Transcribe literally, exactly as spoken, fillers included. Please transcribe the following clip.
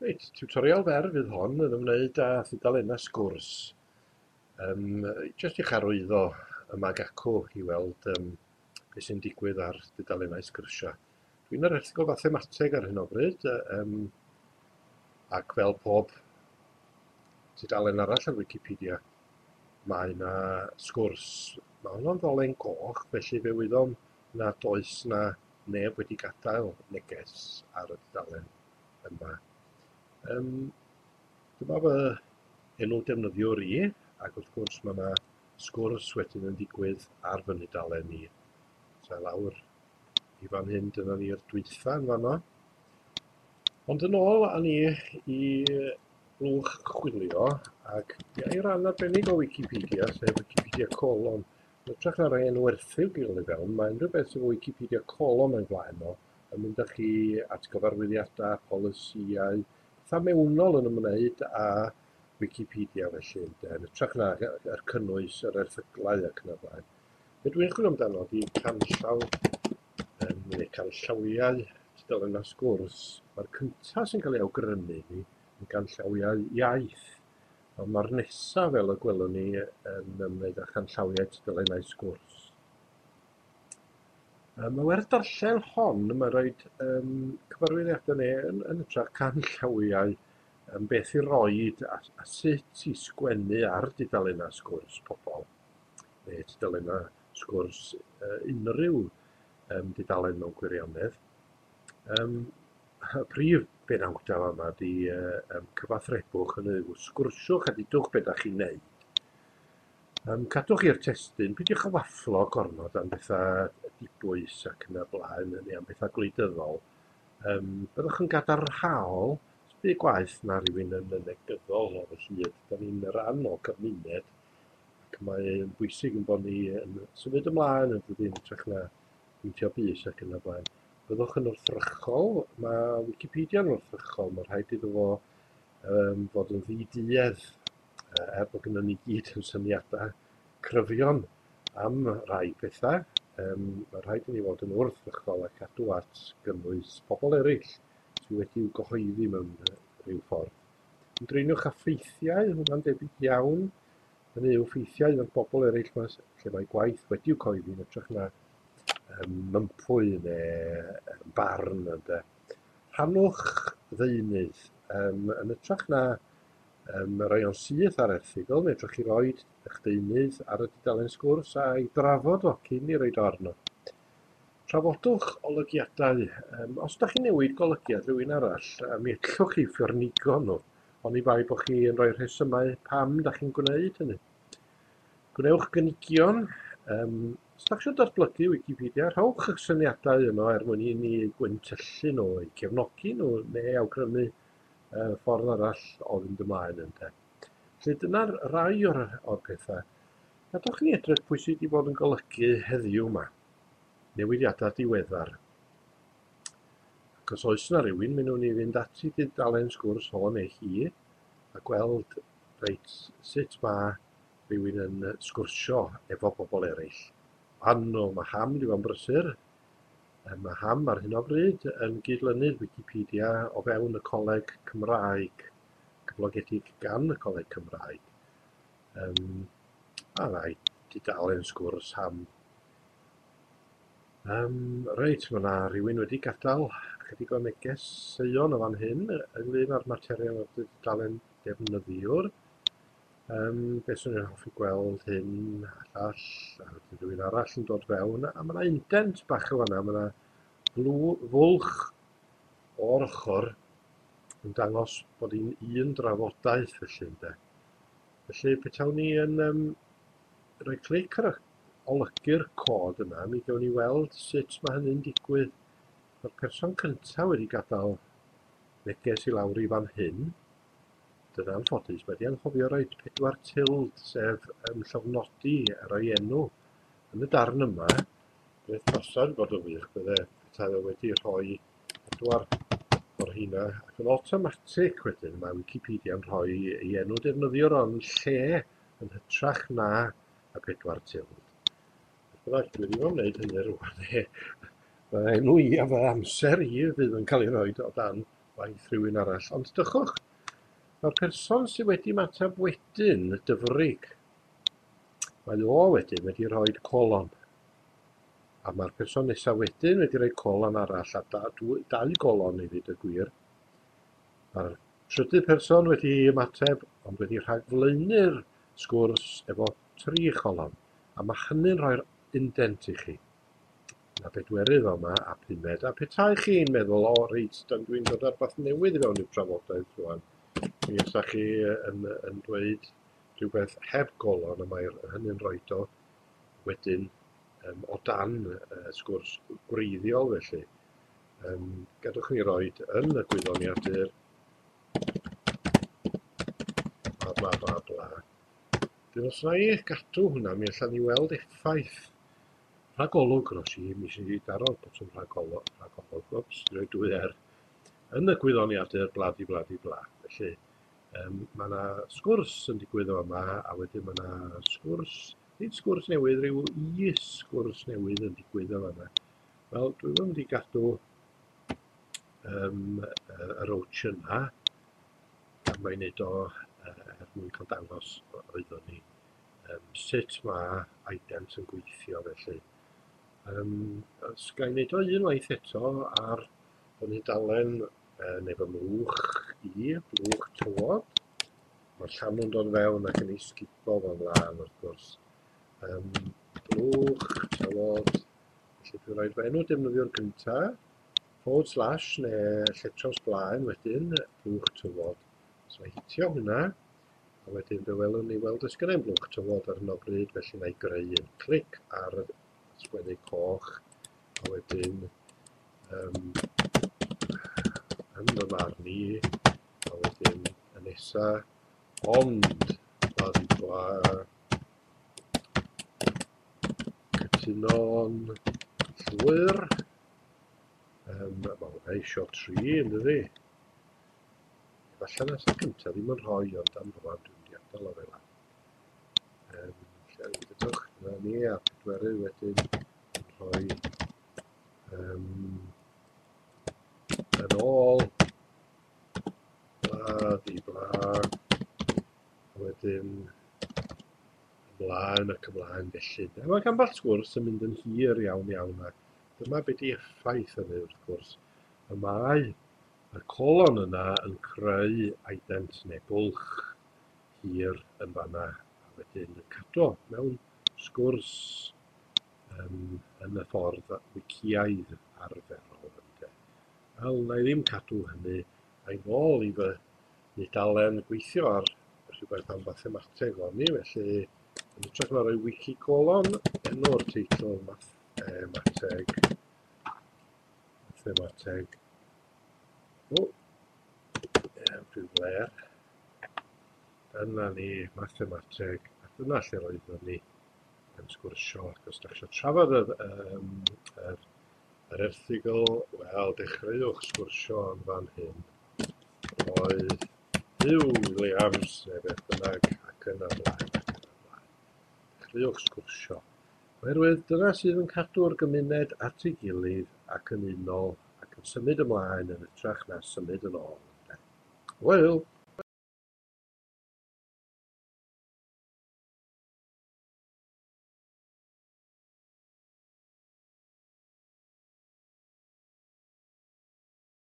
Reit, tiwtorial fer fydd hon yn ymwneud â thudalennau sgwrs. Um, jyst i'ch arwyddo yma ac acw i weld um, beth sy'n digwydd ar dudalennau sgwrsiau. Dwi'n yr erthygl fathemateg ar hyn o bryd, um, ac fel pob tudalen arall ar Wikipedia, mae yna sgwrs. Mae honno'n ddolen goch, felly fe wyddom nad oes na neb wedi gadael neges ar y dudalen yma. Um, dyma fy enw defnyddiwr i, ac wrth gwrs mae yna sgwrs wedyn yn digwydd ar fy nhudalen i. So lawr i fan hyn, dyna ni'r dwytha yn fanno. Ond yn ôl â ni i blwch chwilio, ac i ran arbennig o Wikipedia, sef Wikipedia colon. Yn hytrach na rhoi enw erthygl i fewn, mae unrhyw beth sydd Wikipedia colon o'i flaen o yn mynd â chi at gyfarwyddiadau, polisïau, pethau mewnol yn ymwneud â Wikipedia felly, ynde, yn hytrach na yr cynnwys, yr erthyglau ac yn y blaen. Be dwi'n chwilio amdano ydy canllaw, um, neu canllawiau tudalennau sgwrs. Mae'r cyntaf sy'n cael ei awgrymu i ni yn ganllawiau iaith, ond mae'r nesaf, fel y gwelwn ni, yn ymwneud â chanllawiau tudalennau sgwrs. Um, mae werth darllen hon, mae rhoid um, cyfarwyddiadau neu yn, yn hytrach canllawiau um, beth i roid a, a sut i sgwennu ar dudalennau sgwrs pobl, neu tudalennau sgwrs uh, unrhyw um, dudalen mewn gwirionedd. Um, y prif benawdau yma ydy uh, um, cyfathrebwch, hynny yw sgwrsiwch a dudwch beth ydych chi'n neud. Um, cadwch i'r testun, peidiwch â wafflo gormod am bethau dibwys ac yn y blaen, neu am bethau gwleidyddol. Um, byddwch yn gadarnhaol, byd gwaith na rhywun yn yn negyddol o fy hyd. Da ni'n rhan o gymuned, ac mae'n bwysig yn bod ni yn symud ymlaen yn dydy, yn hytrach na pwyntio bys ac yn y blaen. Byddwch yn wrthrychol, mae Wikipedia yn wrthrychol, mae rhaid iddo fo um, fod yn ddiduedd, er bod gynnon ni gyd yn syniadau cryfion am rai pethau, um, mae rhaid i ni fod yn wrthrychol a cadw at gynnwys pobl eraill sydd wedi'w gyhoeddi mewn rhyw ffordd. Ymdriniwch â ffeithiau, hwnna'n debyg iawn, hynny yw ffeithiau o'r bobl eraill ma, lle mae gwaith wedi'w cyhoeddi yn hytrach na um, mympwy neu barn. Ynde. Rhannwch ddeunydd, um, yn hytrach na Um, rhoi o'n syth ar erthygl, neu drwch chi roid eich deunydd ar y dudalen sgwrs a'i drafod o cyn i roid o arno. Trafodwch olygiadau. Um, os ydych chi'n newid golygiad rhywun arall, mi ellwch chi ffyrnigo nhw, oni bai bod chi yn rhoi rhesymau pam ydych chi'n gwneud hynny. Gwnewch gynigion. Um, os ydych chi'n datblygu Wikipedia, rhowch eich syniadau yno er mwyn i ni gwyntyllu nhw, eu cefnogi nhw, neu awgrymu ffordd arall o fynd ymlaen ynde. Felly dyna'r rai o'r, o'r pethau. Gadewch ni edrych pwy sydd wedi bod yn golygu heddiw yma. Newidiadau diweddar. Ac os oes yna rhywun, mi wnawn ni fynd at i dudalen sgwrs o neu hi a gweld reit sut mae rhywun yn sgwrsio efo bobl eraill. Anno, mae Ham wedi bod yn brysur. Mae Ham ar hyn o bryd yn gydlynydd Wikipedia o fewn y Coleg Cymraeg, cyflogedig gan y Coleg Cymraeg. Um, a rai dudalen sgwrs Ham. Um, reit, mae yna rhywun wedi gadael chydig o negeseuon o fan hyn ynglyn â'r materion o'r dudalen defnyddiwr. Um, beth swn i'n hoffi gweld hyn a llall, a wedyn rhywun arall yn dod fewn, a mae yna indent bach o fanna, mae yna fwlch o'r ochr yn dangos bod hi'n un drafodaeth felly ynde. Felly petawn ni yn um, rhoi clic ar y olygu'r cod yna, mi gawn ni weld sut mae hynny'n digwydd. Mae'r person cyntaf wedi gadael neges i lawr i fan hyn. Dyna'n anffodus, mae wedi anghofio roid pedwar tild, sef um, llofnodi ar ei enw. Yn y darn yma, beth basad bod yn wych bydde petai o wedi rhoi pedwar o'r rheina, ac yn automatic wedyn mae Wikipedia yn rhoi ei enw defnyddiwr o'n lle yn hytrach na y pedwar tild. Beth bynnag, dwi ddim am wneud hynny rŵan. Mae enw i a fy amser i fydd yn cael ei roed o dan waith rhywun arall. Ond dychwch, mae'r person sydd wedi ymateb wedyn, Dyfrig, mae o wedyn wedi rhoi colon. A mae'r person nesaf wedyn wedi rhoi colon arall, a da, dau golon i ddweud y gwir. Mae'r trydydd person wedi ymateb, ond wedi rhagflaenu'r sgwrs efo tri cholon. A mae hynny'n rhoi'r indent i chi. Na bedwerydd yma a pumed. A petai chi'n meddwl, o reit, dwi'n dod ar beth newydd i fewn i'r trafodaeth rwan, mi fysa chi yn, yn dweud rhywbeth heb golon, a mae hynny'n rhoid o wedyn um, o dan uh, sgwrs gwreiddiol felly. Um, gadwch ni roed yn y gwyddoniadur bla bla bla bla. Dyn os na i gadw hwnna, mi allan ni weld effaith rhagolwg ros i, mi sy'n i daro'r botwm rhagolwg, rhagolwg, wps, rhoi dwy er, yn y gwyddoniadur bla di bla di bla. Felly, um, mae yna sgwrs yn digwydd o yma, a wedyn mae yna sgwrs, nid sgwrs newydd, rhyw is-sgwrs newydd yn digwydd o yma. Wel, dwi'n mynd i gadw um, yr oach yna, a mae'n neud o er mwyn cael dangos oeddwn ni um, sut mae ident yn gweithio felly. Um, os ga i wneud o unwaith eto ar fy nhudalen uh, neu fy mlwch i, blwch tywod. Mae'r llanw'n dod fewn ac yn ei sgubo fo ymlaen wrth gwrs. Um, blwch tywod, felly dwi'n rhoi fy enw defnyddiwr gyntaf, forward slash neu lletraws blaen wedyn, blwch tywod. So mae hitio hwnna, a wedyn fe welwn ni weld oes gynna i'm blwch tywod ar hyn o bryd, felly na i greu un clic ar y sgwennu coch, a wedyn um, yn fy marn i, a wedyn y nesa, ond bla di bla, cytuno'n llwyr, um, mae hwnna isio tri, yn dydi? Falle nes y cyntaf ddim yn rhoi, ond am rwan dwi'n mynd i adael o fel 'na. Um, lle dydwch, dyna ni, a pedwerydd wedyn yn rhoi um, yn ôl, bla di bla, a wedyn ymlaen ac ymlaen felly. A mae ambell sgwrs yn mynd yn hir iawn iawn, a dyma be di effaith hynny wrth gwrs. Y mae y colon yna yn creu ident neu bwlch hir yn fanna, a wedyn yn cadw mewn sgwrs um, yn y ffordd wiciaidd arferol. Ynde. Wel, na i ddim cadw hynny, a'i nôl i fy nudalen gweithio ar rhywbeth am fathemateg o'n i, felly yn hytrach na rhoi wiki colon, enw'r teitl mathemateg, mathemateg, o, rhyw fler. Dyna ni, mathemateg, a dyna lle roeddwn ni yn sgwrsio. Ac os ydych chi eisiau trafod yr, um, yr, yr erthygl, wel, dechreuwch sgwrsio yn fan hyn. Oedd Huw Williams, neu beth bynnag, ac yn y blaen, ac yn y blaen. Dechreuwch sgwrsio. Oherwydd dyna sydd yn cadw'r gymuned at ei gilydd ac yn unol ac yn symud ymlaen yn hytrach na symud yn ôl. Hwyl!